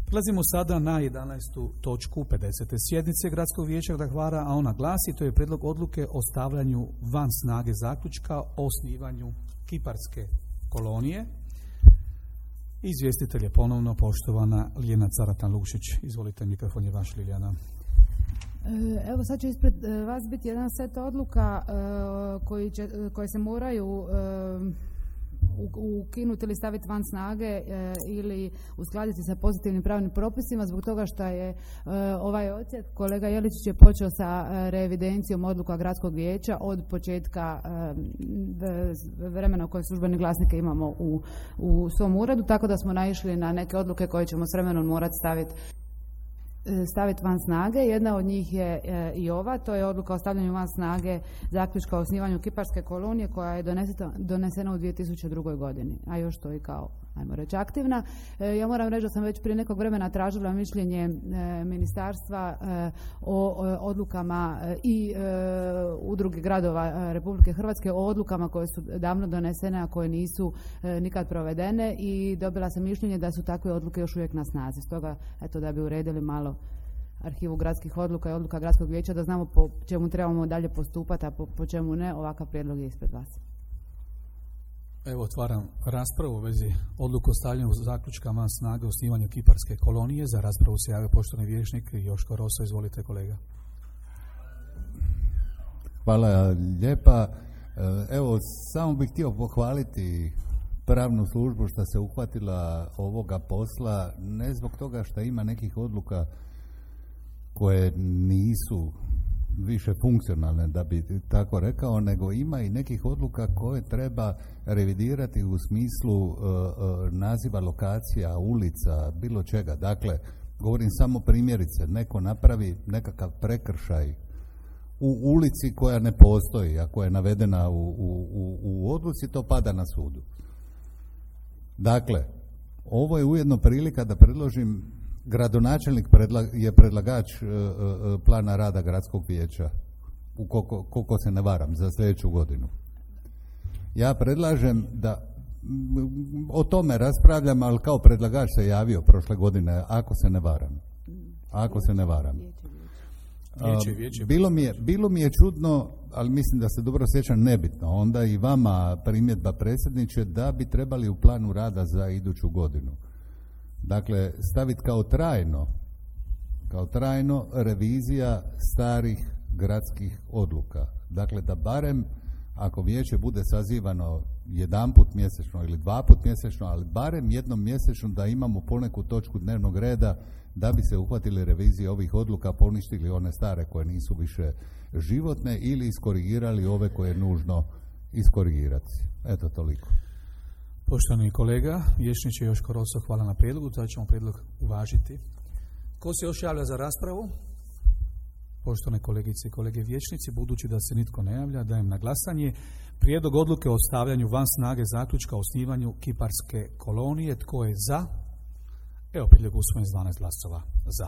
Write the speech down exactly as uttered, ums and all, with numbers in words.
Prelazimo sada na jedanaestu točku pedesete sjednice Gradskog vijeća grada Hvara, a ona glasi: to je prijedlog odluke o stavljanju van snage zaključka o osnivanju kiparske kolonije. Izvjestitelj je ponovno poštovana Ljiljana Caratan-Lukšić. Izvolite, mikrofon je vaš, Ljiljana. Evo, sad će ispred vas biti jedan set odluka koji će, koje se moraju ukinuti ili staviti van snage e, ili uskladiti sa pozitivnim pravnim propisima zbog toga što je e, ovaj odsjek, kolega Jeličić je počeo sa e, reevidencijom odluka Gradskog vijeća od početka e, vremena u kojem službene glasnike imamo u, u svom uredu, tako da smo naišli na neke odluke koje ćemo s vremenom morati staviti staviti van snage. Jedna od njih je e, i ova, to je odluka o stavljanju van snage zaključka o osnivanju kiparske kolonije koja je donesena, donesena u dvije tisuće druge. godini, a još to i kao, ajmo reći, aktivna. E, ja moram reći da sam već prije nekog vremena tražila mišljenje e, ministarstva e, o, o odlukama e, i e, udruge gradova e, Republike Hrvatske o odlukama koje su davno donesene, a koje nisu e, nikad provedene, i dobila sam mišljenje da su takve odluke još uvijek na snazi. Stoga, eto, da bi uredili malo arhivu gradskih odluka i odluka Gradskog vijeća, da znamo po čemu trebamo dalje postupati, a po, po čemu ne, ovakav prijedlog je ispred vas. Evo, otvaram raspravu u vezi odluku o stavljanju zaključka van snage o osnivanju kiparske kolonije. Za raspravu se javio poštovani vijećnik Joško Roso. Izvolite, kolega. Hvala lijepa. Evo, samo bih htio pohvaliti pravnu službu što se uhvatila ovoga posla, ne zbog toga što ima nekih odluka koje nisu više funkcionalne, da bi tako rekao, nego ima i nekih odluka koje treba revidirati u smislu uh, uh, naziva lokacija, ulica, bilo čega. Dakle, govorim samo primjerice, neko napravi nekakav prekršaj u ulici koja ne postoji, a koja je navedena u, u, u, u odluci, to pada na sudu. Dakle, ovo je ujedno prilika da predložim, gradonačelnik predla, je predlagač uh, uh, plana rada Gradskog vijeća, koliko, koliko se ne varam, za sljedeću godinu. Ja predlažem da m, o tome raspravljam, ali kao predlagač se javio prošle godine, ako se ne varam. Ako se ne varam. Vijeće, vijeće. Bilo mi je, bilo mi je čudno, ali mislim da se dobro sjećam, nebitno, onda i vama primjedba, predsjedniče, da bi trebali u planu rada za iduću godinu, dakle, staviti kao trajno, kao trajno revizija starih gradskih odluka. Dakle, da barem, ako vijeće bude sazivano jedanput mjesečno ili dva put mjesečno, ali barem jednom mjesečno, da imamo poneku točku dnevnog reda da bi se uhvatili revizije ovih odluka, poništili one stare koje nisu više životne ili iskorigirali ove koje je nužno iskorigirati. Eto, toliko. Poštovani kolega, vijećniče Joško Roso, hvala na prijedlogu, to ćemo prijedlog uvažiti. Ko se još javlja za raspravu? Poštovane kolegice i kolege vijećnici, budući da se nitko ne javlja, dajem na glasanje prijedlog odluke o stavljanju van snage zaključka o osnivanju kiparske kolonije. Tko je za? Evo, prijedlog usvojen s dvanaest glasova za.